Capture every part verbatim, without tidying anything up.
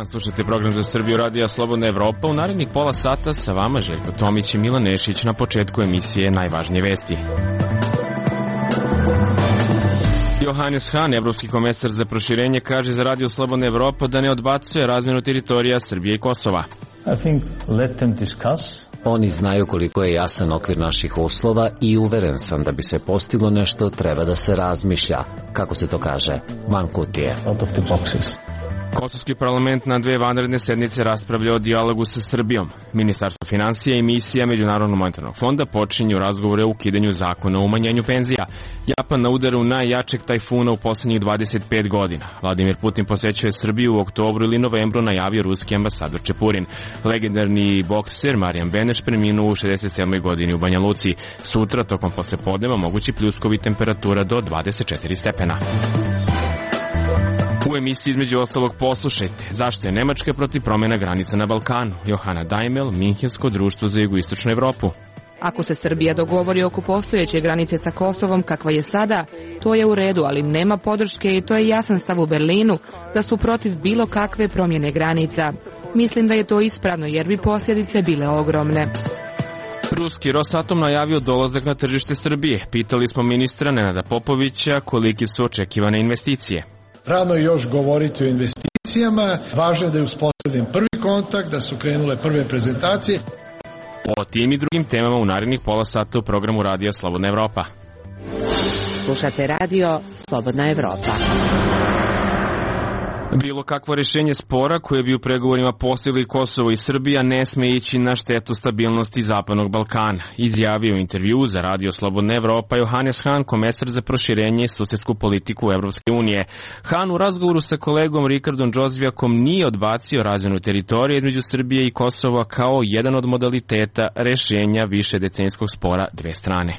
dan, slušajte program za Srbiju Radija Slobodna Evropa. U narednih pola sata sa vama Željko Tomić i Milan Nešić na početku emisije Najvažnije vesti. Johannes Hahn, evropski komesar za proširenje, kaže za Radio Slobodna Evropa da ne odbacuje razmjenu teritorija Srbije i Kosova. I think let them discuss. Oni znaju koliko je jasan okvir naših uslova i uveren sam da bi se postiglo nešto treba da se razmišlja, kako se to kaže, van kutije. Out of the boxes. Kosovski parlament na dve vanredne sednice raspravlja o dijalogu sa Srbijom. Ministarstvo finansija i misija Međunarodnog monetarnog fonda počinju razgovore o ukidanju zakona o umanjenju penzija. Japan na udaru najjačeg tajfuna u poslednjih dvadeset pet godina. Vladimir Putin posećuje Srbiju u oktobru ili novembru, najavio ruski ambasador Čepurin. Legendarni bokser Marijan Beneš preminuo u šezdeset sedmoj godini u Banja Luci. Sutra, tokom poslepodneva, mogući pljuskovi, temperatura do dvadeset četiri stepena. U emisiji između ostalog poslušajte zašto je Nemačka protiv promjena granica na Balkanu. Johana Daimel, Minhensko društvo za jugoistočnu Evropu. Ako se Srbija dogovori oko postojeće granice sa Kosovom kakva je sada, to je u redu, ali nema podrške i to je jasan stav u Berlinu da su protiv bilo kakve promjene granica. Mislim da je to ispravno jer bi posljedice bile ogromne. Ruski Rosatom najavio dolazak na tržište Srbije. Pitali smo ministra Nenada Popovića koliki su očekivane investicije. Rano je još govoriti o investicijama, važno je da je uspostavljen prvi kontakt, da su krenule prve prezentacije. O tim i drugim temama u narednih pola sata u programu Radija Slobodna Evropa. Slušate Radio Slobodna Evropa. Bilo kakvo rješenje spora koje bi u pregovorima postigli Kosovo i Srbija ne sme ići na štetu stabilnosti Zapadnog Balkana, izjavio u intervju za Radio Slobodna Evropa Johannes Hahn, komesar za proširenje i susjedsku politiku Evropske unije. Hahn u razgovoru sa kolegom Rikardom Džozvijakom nije odbacio razmjenu teritorije između Srbije i Kosova kao jedan od modaliteta rješenja višedecenijskog spora dve strane.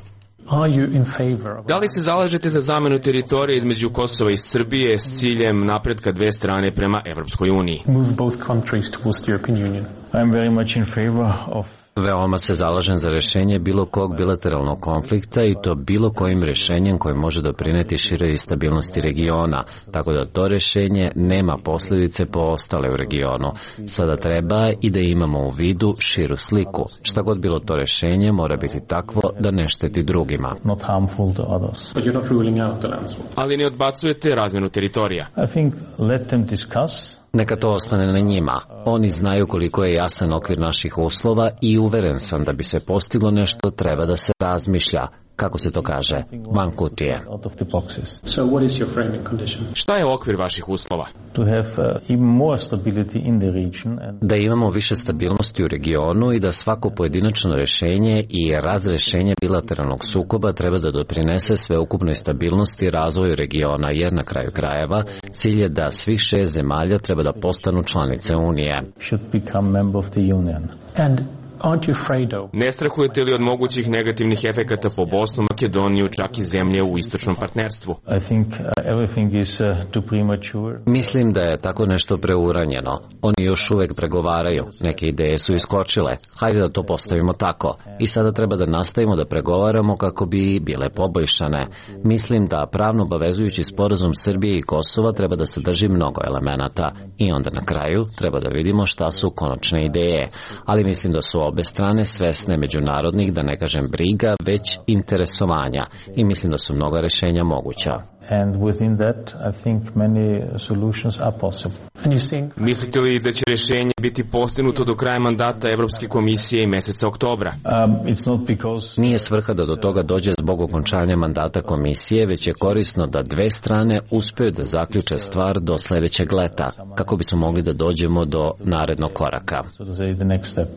Da li se zalažete za zamjenu teritorije između Kosova i Srbije s ciljem napretka dve strane prema Evropskoj uniji? Veoma se zalažem za rješenje bilo kog bilateralnog konflikta i to bilo kojim rješenjem koje može doprineti široj stabilnosti regiona, tako da to rješenje nema posljedice po ostale u regionu. Sada treba i da imamo u vidu širu sliku. Šta god bilo to rješenje mora biti takvo da ne šteti drugima. Ali ne odbacujete razmjenu teritorija? I think let them discuss. Neka to ostane na njima. Oni znaju koliko je jasan okvir naših uslova i uveren sam da bi se postiglo nešto treba da se razmišlja, kako se to kaže, van kutije. Šta je okvir vaših uslova? Da imamo više stabilnosti u regionu i da svako pojedinačno rješenje i razrješenje bilateralnog sukoba treba da doprinese sveukupnoj stabilnosti i razvoju regiona, jer na kraju krajeva cilj je da svih šest zemalja treba da postanu članice Unije. Ne strahujete li od mogućih negativnih efekata po Bosnu, Makedoniju, čak i zemlje u istočnom partnerstvu? Mislim da je tako nešto preuranjeno. Oni još uvek pregovaraju. Neke ideje su iskočile. Hajde da to postavimo tako. I sada treba da nastavimo da pregovaramo kako bi bile poboljšane. Mislim da pravno obavezujući sporazum Srbije i Kosova treba da sadrži mnogo elemenata. I onda na kraju treba da vidimo šta su konačne ideje. Ali mislim da su obe strane svesne međunarodnih, da ne kažem briga, već interesovanja. I mislim da su mnoga rješenja moguća. And within that, I think many solutions are possible. Mislite li da će rješenje biti postignuto do kraja mandata Evropske komisije i meseca oktobra? Um, it's not because... Nije svrha da do toga dođe zbog okončanja mandata komisije, već je korisno da dve strane uspeju da zaključe stvar do sljedećeg leta, kako bismo mogli da dođemo do narednog koraka. So to say the next step.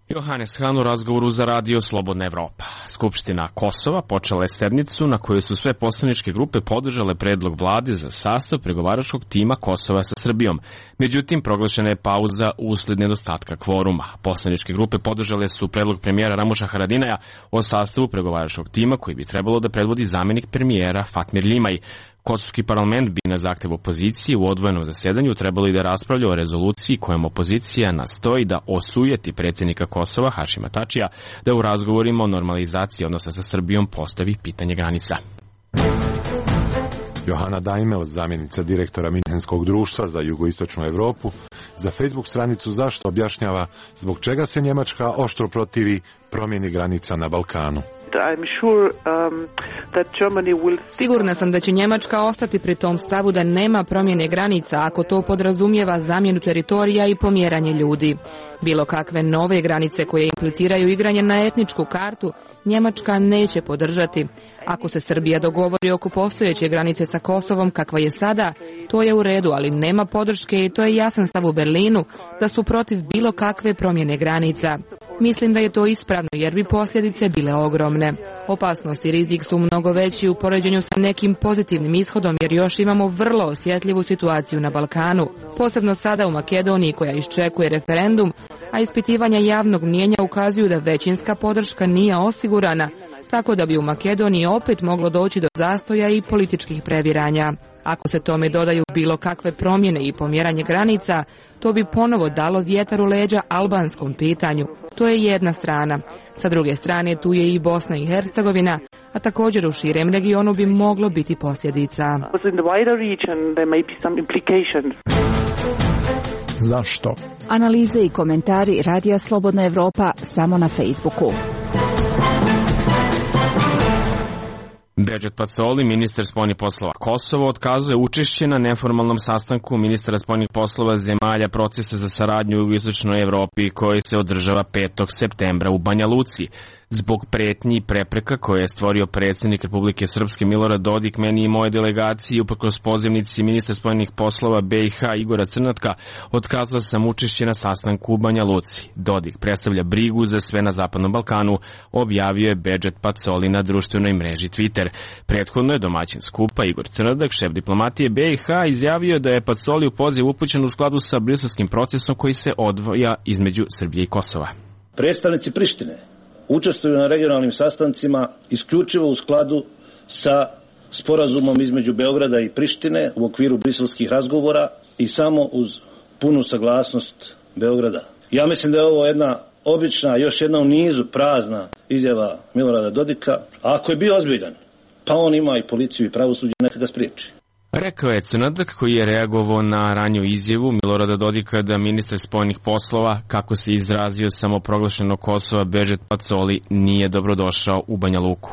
Johannes Hahn u razgovoru za Radio Slobodna Evropa. Skupština Kosova počela je sednicu na kojoj su sve poslaničke grupe podržale predlog vlade za sastav pregovaračkog tima Kosova sa Srbijom. Međutim, proglašena je pauza usled nedostatka kvoruma. Poslaničke grupe podržale su predlog premijera Ramuša Haradinaja o sastavu pregovaračkog tima koji bi trebalo da predvodi zamjenik premijera Fatmir Limaj. Kosovski parlament bi na zahtev opozicije u odvojenom zasedanju trebalo i da raspravlja o rezoluciji kojom opozicija nastoji da osujeti predsjednika Kosova Hašima Tačija da u razgovorima o normalizaciji odnosa sa Srbijom postavi pitanje granica. Johana Daimel, zamjenica direktora Minhenskog društva za jugoistočnu Evropu, za Facebook stranicu Zašto objašnjava zbog čega se Njemačka oštro protivi promjeni granica na Balkanu. Sigurna sam da će Njemačka ostati pri tom stavu da nema promjene granica ako to podrazumijeva zamjenu teritorija i pomjeranje ljudi. Bilo kakve nove granice koje impliciraju igranje na etničku kartu Njemačka neće podržati. Ako se Srbija dogovori oko postojeće granice sa Kosovom kakva je sada, to je u redu, ali nema podrške i to je jasan stav u Berlinu da su protiv bilo kakve promjene granica. Mislim da je to ispravno jer bi posljedice bile ogromne. Opasnost i rizik su mnogo veći u poređenju sa nekim pozitivnim ishodom jer još imamo vrlo osjetljivu situaciju na Balkanu, posebno sada u Makedoniji koja iščekuje referendum, a ispitivanja javnog mnijenja ukazuju da većinska podrška nije osigurana, tako da bi u Makedoniji opet moglo doći do zastoja i političkih previranja. Ako se tome dodaju bilo kakve promjene i pomjeranje granica, to bi ponovo dalo vjetar u leđa albanskom pitanju. To je jedna strana. Sa druge strane tu je i Bosna i Hercegovina, a također u širem regionu bi moglo biti posljedica. Zašto? Analize i komentari Radija Slobodna Evropa samo na Facebooku. Bedžet Pacoli, ministar spoljnih poslova Kosova, otkazuje učešće na neformalnom sastanku ministara spoljnih poslova zemalja procesa za saradnju u jugoistočnoj Evropi koji se održava petog septembra u Banja Luci. Zbog pretnji i prepreka koje je stvorio predsjednik Republike Srpske Milorad Dodik meni i moje delegaciji uprkos pozivnici ministra spoljnih poslova B i H Igora Crnatka, otkazao sam učešće na sastanku u Banja Luci. Dodik predstavlja brigu za sve na Zapadnom Balkanu, objavio je Bedžet Pacoli na društvenoj mreži Twitter. Prethodno je domaćin skupa Igor Crnadak, šef diplomatije B i H, izjavio da je Pacoli u poziv upućen u skladu sa briselskim procesom koji se odvija između Srbije i Kosova. Predstavnici Prištine učestvuju na regionalnim sastancima isključivo u skladu sa sporazumom između Beograda i Prištine u okviru briselskih razgovora i samo uz punu saglasnost Beograda. Ja mislim da je ovo jedna obična, još jedna u nizu prazna izjava Milorada Dodika, a ako je bio ozbiljan, pa on ima i policiju i pravosuđe, neka ga spriječi. Rekao je Crnadak koji je reagovao na ranju izjavu Milorada Dodika da ministar spoljnih poslova, kako se izrazio samoproglašeno Kosova Bedžet Pacoli, nije dobrodošao u Banja Luku.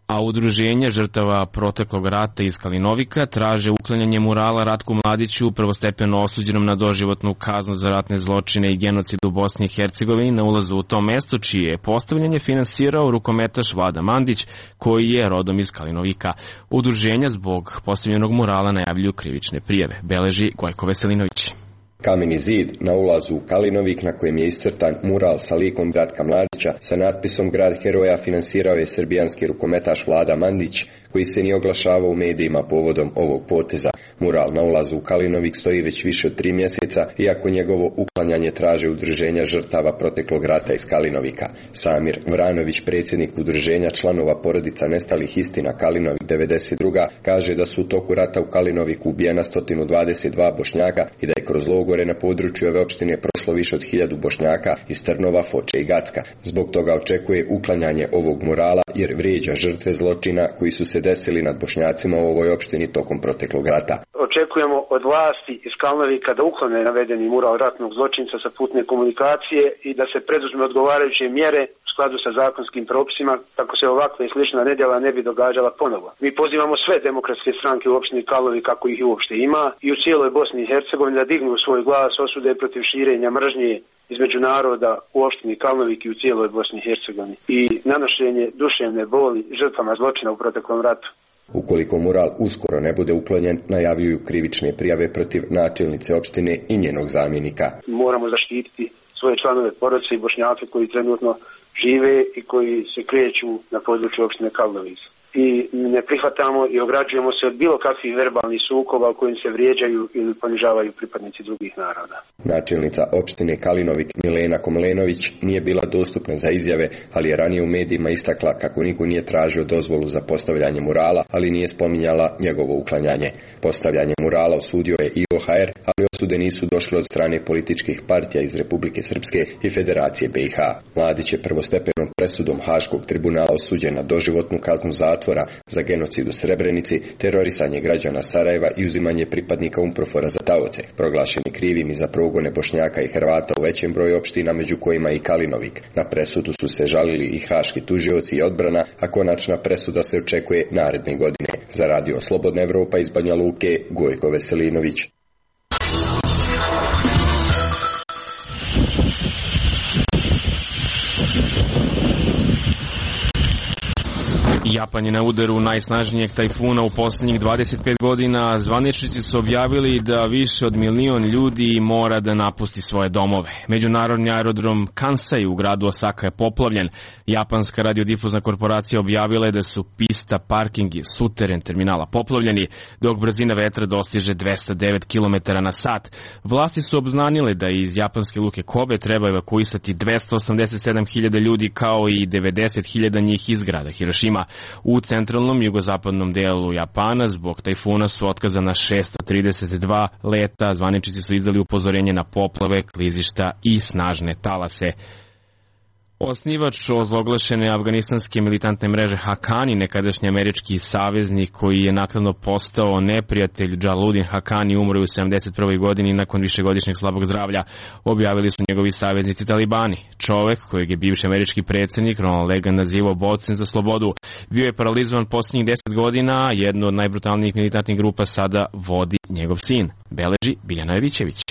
A udruženja žrtava proteklog rata iz Kalinovika traže uklanjanje murala Ratku Mladiću, prvostepeno osuđenom na doživotnu kaznu za ratne zločine i genocid u Bosni i Hercegovini na ulazu u to mesto, čije je postavljanje finansirao rukometaš Vlada Mandić, koji je rodom iz Kalinovika. Udruženja zbog postavljenog murala najavljuju krivične prijave, beleži Gojko Veselinović. Kameni zid na ulazu u Kalinovik na kojem je iscrtan mural sa likom Ratka Mladića sa natpisom Grad heroja finansirao je srbijanski rukometaš Vlada Mandić, koji se nije oglašavao u medijima povodom ovog poteza. Mural na ulazu u Kalinovik stoji već više od tri mjeseca, iako njegovo uklanjanje traže udruženja žrtava proteklog rata iz Kalinovika. Samir Vranović, predsjednik udruženja članova porodica nestalih istina Kalinovik devedeset druga, kaže da su u toku rata u Kalinoviku ubijena sto dvadeset dva Bošnjaka i da je kroz logore na području ove opštine prošlo više od hiljadu Bošnjaka iz Trnova, Foče i Gacka. Zbog toga očekuje uklanjanje ovog murala jer vrijeđa žrtve zločina koji su se desili nad Bošnjacima u ovoj opštini tokom proteklog rata. Očekujemo od vlasti iz Kalnovika da uklone navedeni mural ratnog zločinca sa putne komunikacije i da se preduzme odgovarajuće mjere u skladu sa zakonskim propisima, tako se ovakve i slična nedjela ne bi događala ponovo. Mi pozivamo sve demokratske stranke u opštini Kalnovik, kako ih i uopšte ima, i u cijeloj Bosni i Hercegovini da dignu svoj glas osude protiv širenja mržnje između naroda u opštini Kalnovik i u cijeloj Bosni i Hercegovini i nanošenje duševne boli žrtvama zločina u proteklom ratu. Ukoliko mural uskoro ne bude uklonjen, najavljuju krivične prijave protiv načelnice opštine i njenog zamjenika. Moramo zaštititi svoje članove porodice i Bošnjake koji trenutno žive i koji se kreću na području opštine Kalnovik. I ne prihvatamo i ograđujemo se od bilo kakvih verbalnih sukoba u kojim se vrijeđaju ili ponižavaju pripadnici drugih naroda. Načelnica opštine Kalinovik Milena Komlenović nije bila dostupna za izjave, ali je ranije u medijima istakla kako niko nije tražio dozvolu za postavljanje murala, ali nije spominjala njegovo uklanjanje. Postavljanje murala osudio je I O H R, ali osude nisu došle od strane političkih partija iz Republike Srpske i Federacije B i H. Mladić je prvostepenom presudom Haškog tribunala osuđen na doživotnu kaznu zatvora za genocid u Srebrenici, terorisanje građana Sarajeva i uzimanje pripadnika UNPROFOR-a za taoce, proglašeni krivim i za progone Bošnjaka i Hrvata u većem broju opština, među kojima i Kalinovik. Na presudu su se žalili i haški tužioci i odbrana, a konačna presuda se očekuje naredne godine. Za Radio Slobodna Evropa iz Banja Luke, Gojko Veselinović. Japan je na udaru najsnažnijeg tajfuna u posljednjih dvadeset pet godina. Zvaničnici su objavili da više od milion ljudi mora da napusti svoje domove. Međunarodni aerodrom Kansai u gradu Osaka je poplavljen. Japanska radiodifuzna korporacija objavila je da su pista, parking i suteren terminala poplavljeni, dok brzina vetra dostiže dvesta devet kilometara na sat. Vlasti su obznanile da iz japanske luke Kobe treba evakuisati dvesta osamdeset sedam hiljada ljudi, kao i devedeset hiljada njih iz grada Hirošima. U centralnom jugozapadnom delu Japana zbog tajfuna su otkazana šesto trideset dva leta. Zvaničnici su izdali upozorenje na poplave, klizišta i snažne talase. Osnivač ozloglašene afganistanske militantne mreže Hakani, nekadašnji američki saveznik koji je naknadno postao neprijatelj Džalaluddin Hakani, umro u sedamdeset prvoj godini nakon višegodišnjeg slabog zdravlja, objavili su njegovi saveznici Talibani. Čovek kojeg je bivši američki predsjednik Ronald Reagan nazivao borcem za slobodu, bio je paralizovan posljednjih deset godina. Jednu od najbrutalnijih militantnih grupa sada vodi njegov sin, beleži Biljana Jovićević.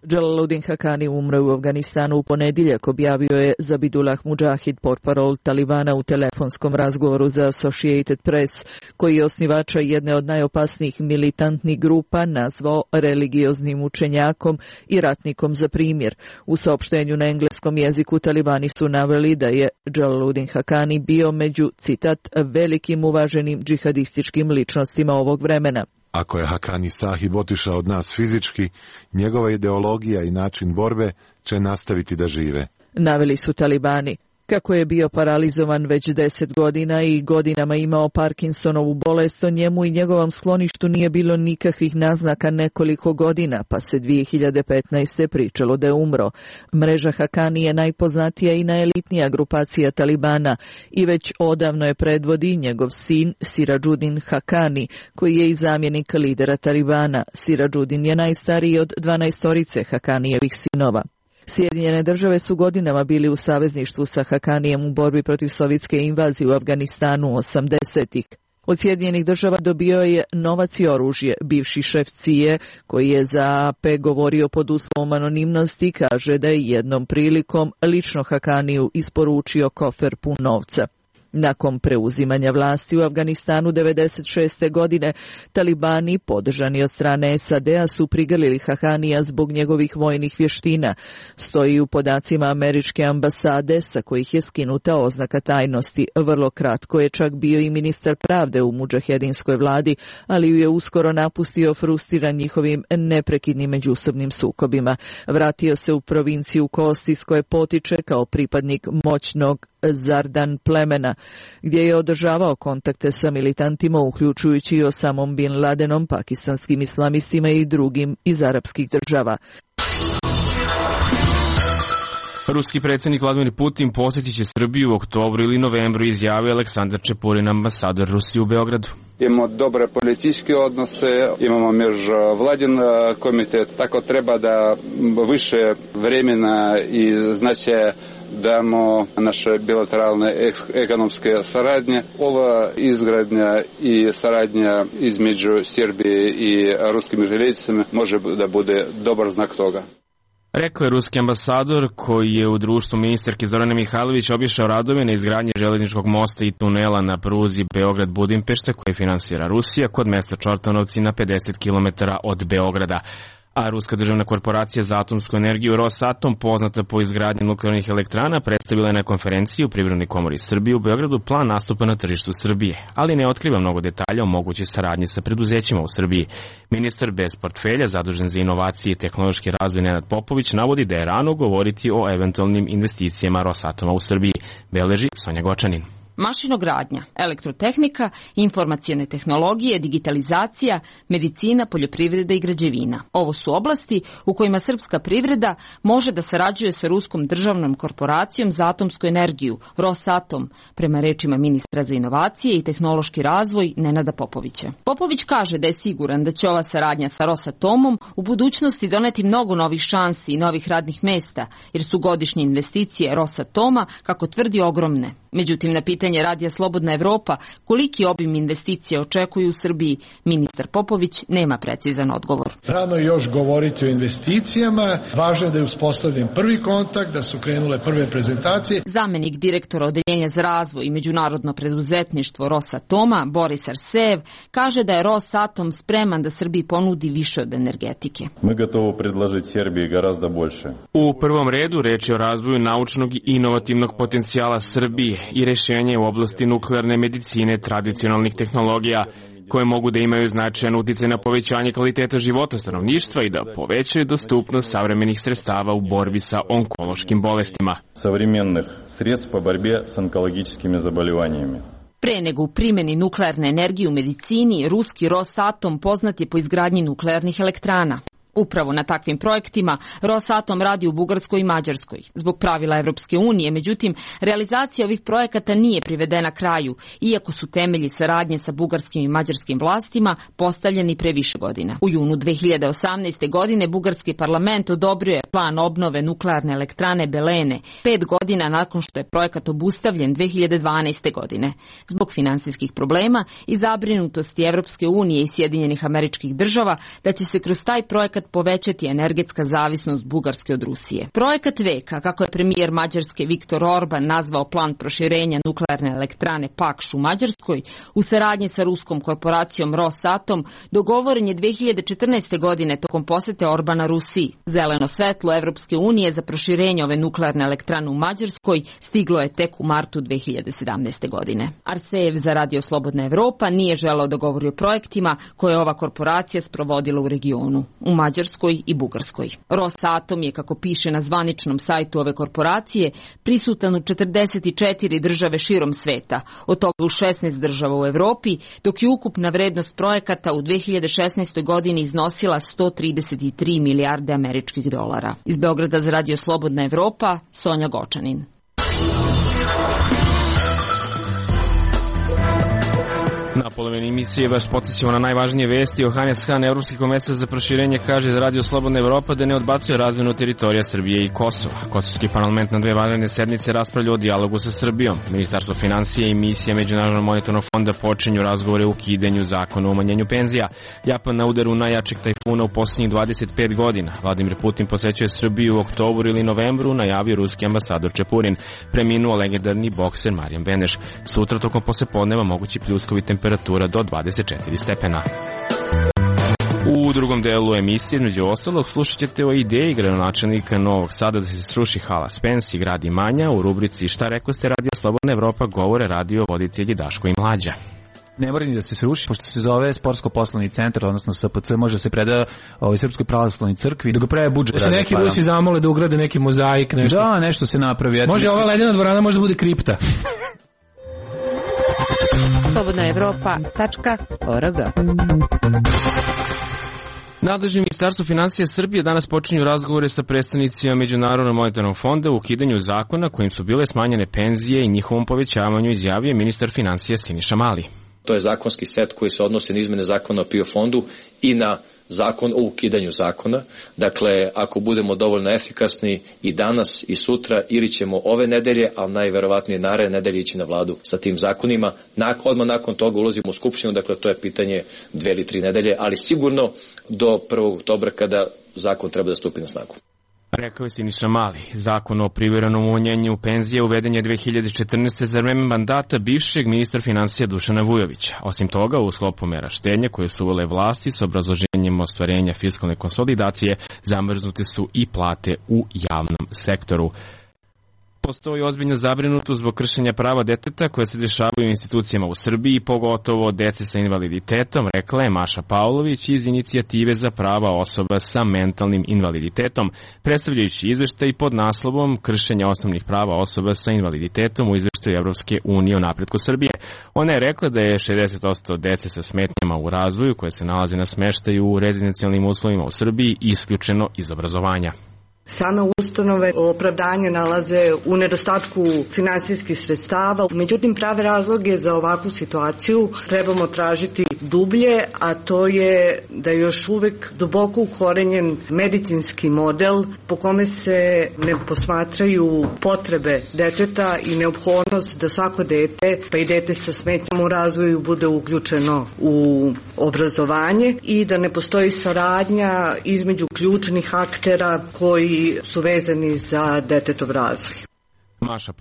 Džalaluddin Hakani umro u Afganistanu u ponedjeljak, objavio je Zabidullah Mujahid, portparol Talibana, u telefonskom razgovoru za Associated Press, koji je osnivača jedne od najopasnijih militantnih grupa nazvao religioznim učenjakom i ratnikom za primjer. U saopštenju na engleskom jeziku Talibani su naveli da je Džalaluddin Hakani bio među, citat, velikim uvaženim džihadističkim ličnostima ovog vremena. Ako je Hakani Sahib otišao od nas fizički, njegova ideologija i način borbe će nastaviti da žive. Naveli su Talibani. Kako je bio paralizovan već deset godina i godinama imao Parkinsonovu bolest, o njemu i njegovom skloništu nije bilo nikakvih naznaka nekoliko godina, pa se dvije hiljade petnaeste. pričalo da je umro. Mreža Hakani je najpoznatija i najelitnija grupacija Talibana i već odavno je predvodi njegov sin Sirađudin Hakani, koji je i zamjenik lidera Talibana. Sirađudin je najstariji od dvanaestorice Hakanijevih sinova. Sjedinjene države su godinama bili u savezništvu sa Hakanijem u borbi protiv sovjetske invazije u Afganistanu osamdesetih. Od Sjedinjenih država dobio je novac i oružje. Bivši šef C I E, koji je za A P govorio pod uslovom anonimnosti, kaže da je jednom prilikom lično Hakaniju isporučio kofer pun novca. Nakon preuzimanja vlasti u Afganistanu devedeset šeste. godine, Talibani, podržani od strane S A D-a, su prigrlili Hakanija zbog njegovih vojnih vještina. Stoji u podacima američke ambasade, sa kojih je skinuta oznaka tajnosti. Vrlo kratko je čak bio i ministar pravde u mudžahedinskoj vladi, ali ju je uskoro napustio, frustriran njihovim neprekidnim međusobnim sukobima. Vratio se u provinciju Kosti, iz koje potiče kao pripadnik moćnog Zardan plemena, gdje je održavao kontakte sa militantima, uključujući i Osamom bin Ladenom, pakistanskim islamistima i drugim iz arapskih država. Ruski predsjednik Vladimir Putin posjetit će Srbiju u oktobru ili novembru, izjavio Aleksandar Čepurin, ambasador Rusije u Beogradu. Imamo dobre političke odnose, imamo međuvladin komitet, tako treba da više vremena i značaja damo naše bilateralne ekonomske saradnje. Ova izgradnja i saradnja između Srbije i ruskim željeznicama može da bude dobar znak toga. Rekao je ruski ambasador, koji je u društvu ministarke Zorane Mihajlović obišao radove na izgradnji železničkog mosta i tunela na pruzi Beograd-Budimpešta, koje finansira Rusija, kod mesta Čortanovci na pedeset kilometara od Beograda. A Ruska državna korporacija za atomsku energiju Rosatom, poznata po izgradnji nuklearnih elektrana, predstavila je na konferenciji u Privrednoj komori Srbije u Beogradu plan nastupa na tržištu Srbije, ali ne otkriva mnogo detalja o mogućoj saradnji sa preduzećima u Srbiji. Ministar bez portfelja, zadužen za inovacije i tehnološki razvoj, Nenad Popović, navodi da je rano govoriti o eventualnim investicijama Rosatoma u Srbiji, beleži Sonja Gočanin. mašinogradnja, elektrotehnika, informacione tehnologije, digitalizacija, medicina, poljoprivreda i građevina. Ovo su oblasti u kojima srpska privreda može da sarađuje sa ruskom državnom korporacijom za atomsku energiju, Rosatom, prema rečima ministra za inovacije i tehnološki razvoj Nenada Popovića. Popović kaže da je siguran da će ova saradnja sa Rosatomom u budućnosti doneti mnogo novih šansi i novih radnih mesta, jer su godišnje investicije Rosatoma, kako tvrdi, ogromne. Međutim, na pitanje Radija Slobodna Evropa koliki obim investicija očekuju u Srbiji, ministar Popović nema precizan odgovor. Rano još govoriti o investicijama, važno je da je uspostavljen prvi kontakt, da su krenule prve prezentacije. Zamenik direktora Odeljenja za razvoj i međunarodno preduzetništvo Rosatoma, Boris Arsejev, kaže da je Rosatom spreman da Srbiji ponudi više od energetike. Mi gotovo predložiti Srbiji garazda больше. U prvom redu reč je o razvoju naučnog i inovativnog potencijala Srbije i rešenje u oblasti nuklearne medicine, tradicionalnih tehnologija, koje mogu da imaju značajan uticaj na povećanje kvaliteta života stanovništva i da povećaju dostupnost savremenih sredstava u borbi sa onkološkim bolestima. Savremenih sredstava po borbi s onkološkim zabolivanjima. Pre nego u primjeni nuklearne energije u medicini, ruski Rosatom poznat je po izgradnji nuklearnih elektrana. Upravo na takvim projektima Rosatom radi u Bugarskoj i Mađarskoj. Zbog pravila Evropske unije, međutim, realizacija ovih projekata nije privedena kraju, iako su temelji saradnje sa bugarskim i mađarskim vlastima postavljeni pre više godina. U junu dve hiljade osamnaeste. godine bugarski parlament odobrio je plan obnove nuklearne elektrane Belene, pet godina nakon što je projekat obustavljen dve hiljade dvanaeste. godine. Zbog finansijskih problema i zabrinutosti Evropske unije i Sjedinjenih Američkih Država da će se kroz taj projekat povećati energetska zavisnost Bugarske od Rusije. Projekat veka, kako je premijer Mađarske Viktor Orban nazvao plan proširenja nuklearne elektrane Pakš u Mađarskoj, u saradnji sa ruskom korporacijom Rosatom, dogovoren je dve hiljade četrnaeste. godine tokom posete Orbana Rusiji. Zeleno svetlo Evropske unije za proširenje ove nuklearne elektrane u Mađarskoj stiglo je tek u martu dve hiljade sedamnaeste. godine. Arsejev za Radio Slobodna Evropa nije želeo da govori o projektima koje je ova korporacija sprovodila u regionu, u Mađarskoj i Bugarskoj. Rosatom je, kako piše na zvaničnom sajtu ove korporacije, prisutan u četrdeset četiri države širom sveta, od toga u šesnaest država u Evropi, dok je ukupna vrednost projekata u dve hiljade šesnaestoj. godini iznosila sto trideset tri milijarde američkih dolara. Iz Beograda za Radio Slobodna Evropa, Sonja Gočanin. Na polovini emisije vas podsjećamo na najvažnije vesti. Johannes Hahn, Evropski komesar za proširenje, kaže za Radio Slobodna Evropa da ne odbacuje razmenu teritorija Srbije i Kosova. Kosovski parlament na dve vanredne sednice raspravlja o dijalogu sa Srbijom. Ministarstvo finansija i misija Međunarodnog monetarnog fonda počinju razgovore o ukidanju zakona o umanjenju penzija. Japan na udaru najjačeg tajfuna u posljednjih dvadeset pet godina. Vladimir Putin posećuje Srbiju u oktobru ili novembru, najavio ruski ambasador Čepurin. Preminuo legendarni bokser Marijan Beneš. Sutra tokom poslepodneva mogući pljuskovi temperatura do dvadeset četiri stepena. U drugom delu emisije, među ostalog, slušat ćete o ideji gradonačelnika Novog Sada da se sruši hala Spens i grad Imanja. U rubrici Šta rekoste Radio Slobodna Evropa govore radio voditelji Daško i Mlađa. Ne mora ni da se sruši, pošto se zove Sportsko-poslovni centar, odnosno S P C, može se preda ovoj Srpskoj pravoslavnoj crkvi, da ga prave budžet. Da se neki Rusi zamole da ugrade neki mozaik, nešto. Da, nešto se napravi. Može ova ledena dvorana možda bude kripta. slobodna evropa tačka org. Nadležni ministarstvo finansija Srbije danas počinju razgovore sa predstavnicima Međunarodnog monetarnog fonda u ukidanju zakona kojim su bile smanjene penzije i njihovom povećavanju, izjavio ministar finansija Siniša Mali. To je zakonski set koji se odnosi na izmene zakona o P I O fondu i na zakon o ukidanju zakona. Dakle, ako budemo dovoljno efikasni i danas i sutra, ili ćemo ove nedelje, ali najverovatnije naredne nedelje ići na vladu sa tim zakonima. Nak, odmah nakon toga ulazimo u skupštinu, dakle to je pitanje dve ili tri nedelje, ali sigurno do prvog oktobra kada zakon treba da stupi na snagu. Rekao je Siniša Mali. Zakon o privremenom umanjenju penzije uveden je dve hiljade četrnaeste. za vreme mandata bivšeg ministra finansija Dušana Vujovića. Osim toga, u sklopu mera štednje koje su uvele vlasti s obrazloženjem ostvarenja fiskalne konsolidacije, zamrznute su i plate u javnom sektoru. Postoji ozbiljna zabrinutost zbog kršenja prava deteta koje se dešavaju u institucijama u Srbiji, pogotovo dece sa invaliditetom, rekla je Maša Pavlović iz Inicijative za prava osoba sa mentalnim invaliditetom, predstavljajući izveštaj pod naslovom Kršenja osnovnih prava osoba sa invaliditetom u izveštaju Evropske unije o napretku Srbije. Ona je rekla da je šezdeset posto dece sa smetnjama u razvoju koje se nalaze na smeštaju u rezidencijalnim uslovima u Srbiji isključeno iz obrazovanja. Same ustanove opravdanje nalaze u nedostatku finansijskih sredstava, međutim prave razloge za ovakvu situaciju trebamo tražiti dublje, a to je da je još uvek duboko ukorenjen medicinski model po kome se ne posmatraju potrebe deteta i neophodnost da svako dete, pa i dete sa smetnjama u razvoju, bude uključeno u obrazovanje i da ne postoji saradnja između ključnih aktera koji su vezani za detetov razvoj. Maša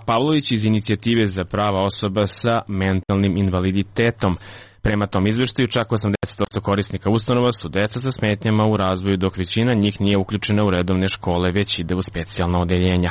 Pavlović iz Inicijative za prava osoba sa mentalnim invaliditetom. Prema tom izveštaju, čak osamdeset posto korisnika ustanova su deca sa smetnjama u razvoju, dok većina njih nije uključena u redovne škole, već ide u specijalna odeljenja.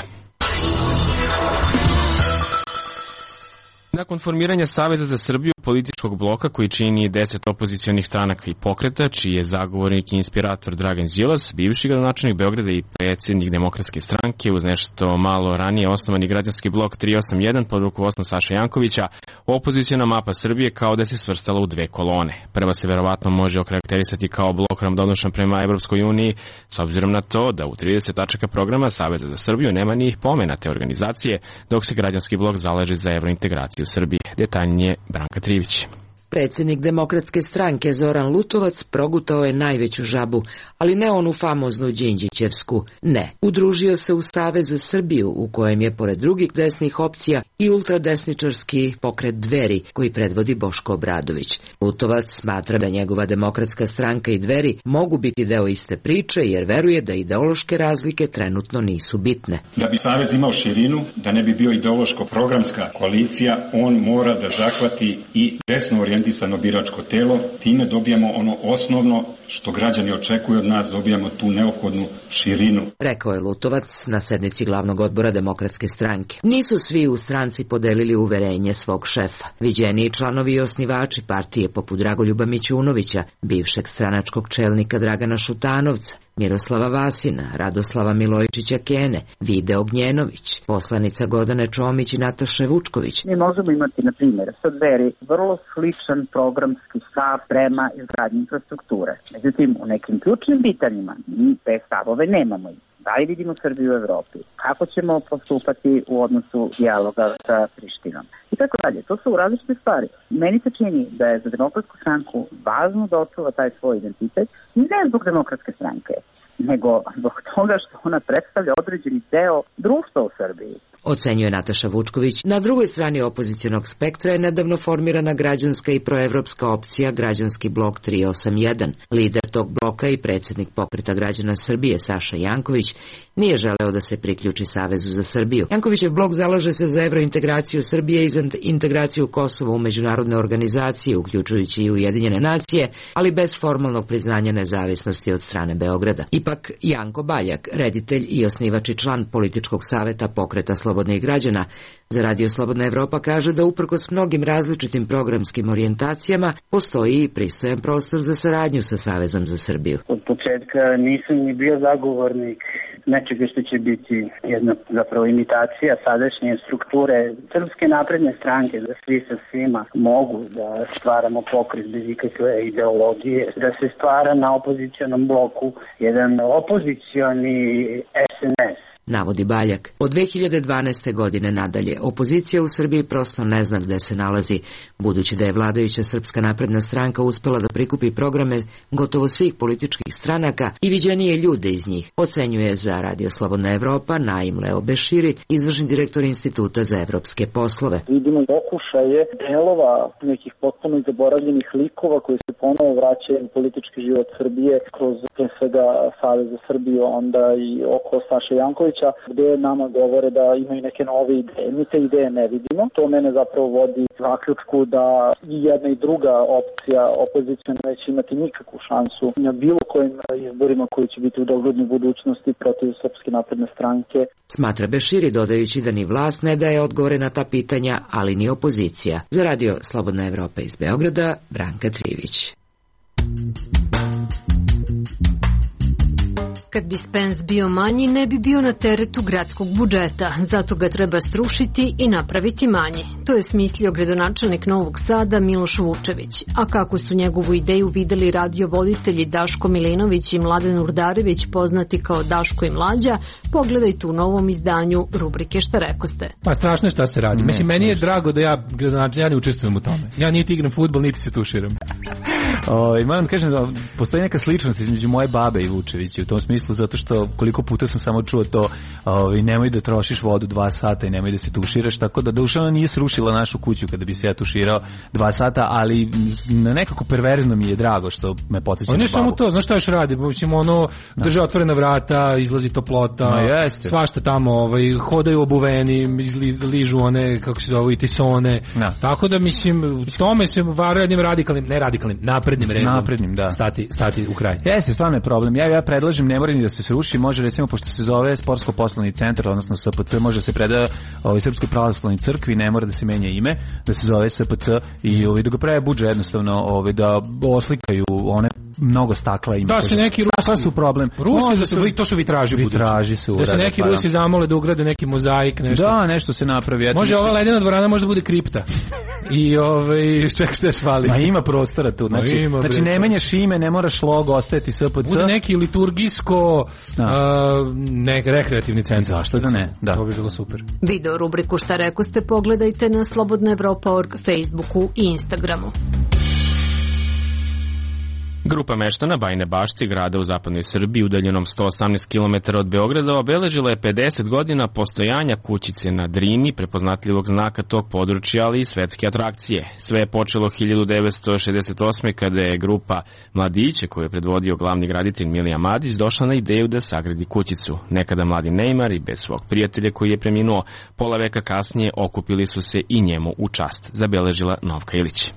Nakon formiranja Saveza za Srbiju, političkog bloka koji čini deset opozicionih stranaka i pokreta, čiji je zagovornik i inspirator Dragan Đilas, bivši gradonačelnik Beograda i predsjednik Demokratske stranke, uz nešto malo ranije osnovani građanski blok tri osam jedan pod rukovodstvom Saše Jankovića, opoziciona mapa Srbije kao da se svrstala u dve kolone. Prva se verovatno može okarakterisati kao blok ravnodušan prema Evropskoj uniji, s obzirom na to da u trideset tačaka programa Saveza za Srbiju nema ni pomena te organizacije, dok se građanski blok zalaže za evrointegraciju Srbije. Detaljnije Branka Trivić. Predsjednik Demokratske stranke Zoran Lutovac progutao je najveću žabu, ali ne onu famoznu Đinđićevsku. Ne, udružio se u Savez za Srbiju, u kojem je pored drugih desnih opcija i ultradesničarski pokret Dveri, koji predvodi Boško Obradović. Lutovac smatra da njegova Demokratska stranka i Dveri mogu biti deo iste priče, jer veruje da ideološke razlike trenutno nisu bitne. Da bi Savez imao širinu, da ne bi bio ideološko-programska koalicija, on mora da zahvati i desno orijentisano biračko telo, time dobijamo ono osnovno što građani očekuju od nas, dobijamo tu neophodnu širinu. Rekao je Lutovac na sednici glavnog odbora Demokratske stranke. Nisu svi u stranci podelili uverenje svog šefa. Viđeniji članovi i osnivači partije poput Dragoljuba Mićunovića, bivšeg stranačkog čelnika Dragana Šutanovca, Miroslava Vasina, Radoslava Milojčića Kene, Vide Ognjenović, poslanica Gordane Čomić i Nataše Vučković. Mi možemo imati, na primjer, sa Dveri vrlo sličan programski stav prema izgradnji infrastrukture. Međutim, u nekim ključnim pitanjima mi te stavove nemamo. Da li vidimo Srbiju u Evropi? Kako ćemo postupati u odnosu dijaloga sa Prištinom? I tako dalje. To su različite stvari. Meni se čini da je za Demokratsku stranku važno da očuva taj svoj identitet, ne zbog Demokratske stranke, nego zbog toga što ona predstavlja određeni deo društva u Srbiji. Ocenjuje Nataša Vučković. Na drugoj strani opozicionog spektra je nedavno formirana građanska i proevropska opcija Građanski blok tri osam jedan. Lider tog bloka i predsjednik Pokreta građana Srbije Saša Janković nije želeo da se priključi Savezu za Srbiju. Jankovićev blok zalaže se za evrointegraciju Srbije i za integraciju Kosova u međunarodne organizacije, uključujući i Ujedinjene nacije, ali bez formalnog priznanja nezavisnosti od strane Beograda. Ipak Janko Baljak, reditelj i osnivač i član političkog saveta Pokreta slobodnih građana za Radio Slobodna Evropa, kaže da uprkos mnogim različitim programskim orijentacijama postoji i pristojan prostor za saradnju sa Savezom za Srbiju. Od početka nisam ni bio zagovornik nečega što će biti jedna zapravo imitacija sadašnje strukture Srpske napredne stranke, da svi sa svima mogu da stvaramo pokret bez ikakve ideologije, da se stvara na opozicionom bloku jedan opozicioni es en es. Navodi Baljak. Od dve hiljade dvanaeste. godine nadalje, opozicija u Srbiji prosto ne zna gde se nalazi, budući da je vladajuća Srpska napredna stranka uspela da prikupi programe gotovo svih političkih stranaka i viđenije ljude iz njih, ocenjuje za Radio Slobodna Evropa Naim Leo Beširi, izvršni direktor Instituta za evropske poslove. Vidimo pokušaje delova nekih potpuno zaboravljenih likova koji se ponovo vraćaju u politički život Srbije kroz pre svega Savez za Srbiju, onda i oko Saše Jankovića, Popovića, gde nama govore da imaju neke nove ideje. Mi te ideje ne vidimo. To mene zapravo vodi zaključku da i jedna i druga opcija opozicijona neće imati nikakvu šansu na bilo kojim izborima koji će biti u doglednoj budućnosti protiv Srpske napredne stranke. Smatra Beširi, dodajući da ni vlast ne daje odgovore na ta pitanja, ali ni opozicija. Za radio Slobodna Evropa iz Beograda, Branka Trivić. Kad bi Spens bio manji, ne bi bio na teretu gradskog budžeta, zato ga treba srušiti i napraviti manji. To je smislio gradonačelnik Novog Sada Miloš Vučević. A kako su njegovu ideju videli radiovoditelji Daško Milinović i Mladen Urdarević, poznati kao Daško i Mlađa, pogledajte u novom izdanju rubrike Šta rekoste. Pa strašno je šta se radi. Ne, Mislim, meni je drago da ja, gradonačelnik, ja ne učestvujem u tome. Ja niti igram fudbal, niti se tuširam. O, i moram da kažem da postoji neka sličnost između moje babe i Vučevića u tom smislu, zato što koliko puta sam samo čuo to, ovaj, nemoj da trošiš vodu dva sata i nemoj da se tuširaš, tako da duša ona nije srušila našu kuću kada bi se ja tuširao dva sata, ali na nekako perverzno mi je drago što me podsjeća na babu. Ne samo to, znaš šta još radi, ćemo ono, drže otvorena vrata, izlazi toplota, no, svašta tamo, ovaj, hodaju obuveni, ližu one, kako se zove, i tisone, no. Tako da mislim, tome se vara jednim radikalnim, ne radikalnim, naprednim rezom, naprednim, da. Stati, stati u kraj. Jeste, stvarno je problem. Ja, ja predlažem, ne mora ni da se sruši, može recimo, pošto se zove Sportsko-poslovni centar, odnosno S P C, može se preda ovaj, Srpskoj pravoslavnoj crkvi, ne mora da se menja ime, da se zove S P C i ovaj, da ga pravi budžet jednostavno, ovaj, da oslikaju one mnogo stakla ima. Da se neki Rusi, su problem. Rusi, da se, to su vitraži, vitraži su. Da se neki pa, Rusi zamole da ugrade neki mozaik, nešto. Da, nešto se napravi. Ja može ova ledena dvorana može da bude kripta. I ovaj ček šta još fali. Ma ima prostora tu. Znači, ima, znači ne menjaš ime, ne moraš logo ostaviti S P C. Bude neki liturgijsko uh, nek rekreativni centar. Zašto da ne? Da. To bi bilo super. Video rubriku Šta rekoste pogledajte na slobodna evropa tačka org, Facebooku i Instagramu. Grupa meštana Bajine Bašti, grada u zapadnoj Srbiji, udaljenom sto osamnaest kilometara od Beograda, obeležila je pedeset godina postojanja kućice na Drini, prepoznatljivog znaka tog područja, ali i svetske atrakcije. Sve je počelo hiljadu devetsto šezdeset osme. kada je grupa mladića, koju je predvodio glavni graditelj Milija Madić, došla na ideju da sagradi kućicu. Nekada mladi Neymar i bez svog prijatelja koji je preminuo pola veka kasnije okupili su se i njemu u čast, zabeležila Novka Ilić.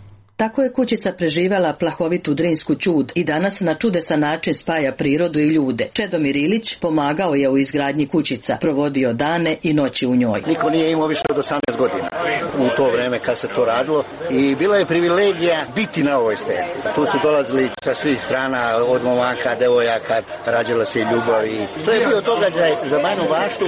Tako je kućica preživela plahovitu drinsku ćud i danas na čudesan način spaja prirodu i ljude. Čedomir Ilić pomagao je u izgradnji kućica, provodio dane i noći u njoj. Niko nije imao više od osamnaest godina u to vreme kad se to radilo i bila je privilegija biti na ovoj steni. Tu su dolazili sa svih strana, od momaka, devojaka, rađala se i ljubav i to je bio događaj za Bajinu Baštu,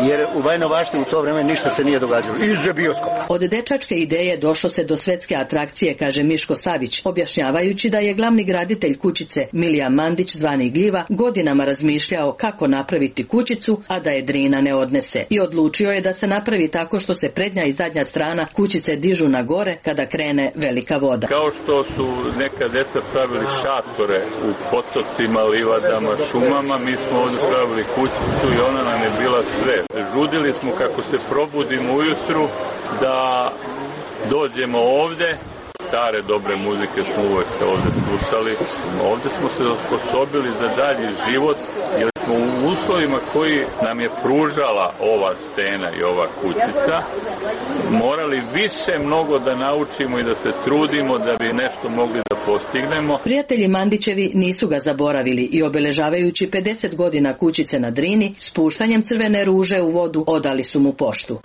jer u Bajinoj Bašti u to vreme ništa se nije događalo, izuzev bioskopa. Od dečačke ideje došlo se do svetske atrakcije, kaže Miško Savić, objašnjavajući da je glavni graditelj kućice Milija Mandić, zvani Gljiva, godinama razmišljao kako napraviti kućicu, a da je Drina ne odnese. I odlučio je da se napravi tako što se prednja i zadnja strana kućice dižu na gore kada krene velika voda. Kao što su neka deca pravili šatore u potocima, livadama, šumama, mi smo ovdje pravili kućicu i ona nam je bila sve. Žudili smo kako se probudimo ujutru da dođemo ovde. Stare dobre muzike smo uvek ovde slušali. Ovde smo se osposobili za dalji život jer smo u uslovima koji nam je pružala ova stena i ova kućica morali više mnogo da naučimo i da se trudimo da bi nešto mogli da postignemo. Prijatelji Mandićevi nisu ga zaboravili i obeležavajući pedeset godina kućice na Drini, spuštanjem crvene ruže u vodu odali su mu poštu.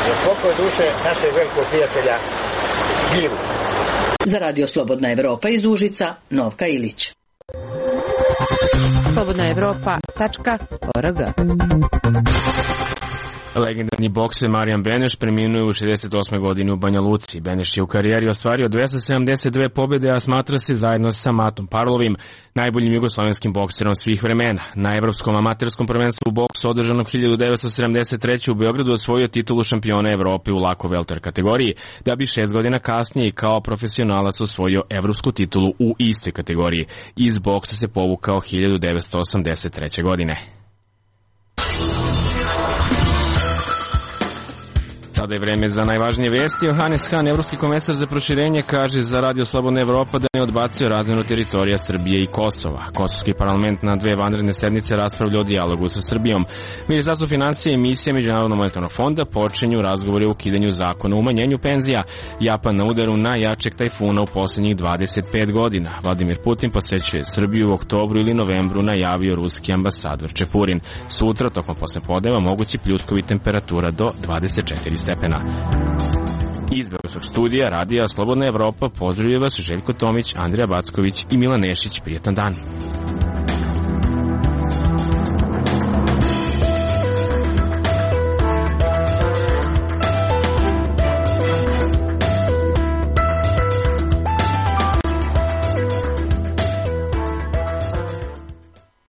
Za spokoj duše našeg velikog prijatelja Gljivu. Za radio Slobodna Evropa iz Užica, Novka Ilić. slobodna evropa tačka org. Legendarni bokser Marijan Beneš preminuo u šezdeset osmoj godini u Banja Luci. Beneš je u karijeri ostvario dvesta sedamdeset dve pobjede, a smatra se zajedno sa Matom Parlovim najboljim jugoslovenskim bokserom svih vremena. Na Evropskom amaterskom prvenstvu u boksu održanom hiljadu devetsto sedamdeset treće. u Beogradu osvojio titulu šampiona Evrope u lako welter kategoriji, da bi šest godina kasnije kao profesionalac osvojio evropsku titulu u istoj kategoriji. Iz boksa se povukao hiljadu devetsto osamdeset treće. godine. Sada je vreme za najvažnije vesti. Johannes Hahn, evropski komesar za proširenje, kaže za Radio Slobodna Evropa da ne odbacuje razmenu teritorija Srbije i Kosova. Kosovski parlament na dve vanredne sednice raspravlja o dijalogu sa Srbijom. Ministarstvo finansija i misija Međunarodnog monetarnog fonda počinju razgovore o ukidanju zakona o umanjenju penzija. Japan na udaru najjačeg tajfuna u posljednjih dvadeset pet godina. Vladimir Putin posećuje Srbiju u oktobru ili novembru, najavio ruski ambasador Čepurin. Sutra, tokom poslepodneva, mogući pljuskovi temperatura do dvadeset četiri stepena. Iz Beogradskog studija Radija Slobodna Evropa pozdravljaju vas Željko Tomić, Andrija Backović i Milan Nešić. Prijetan dan.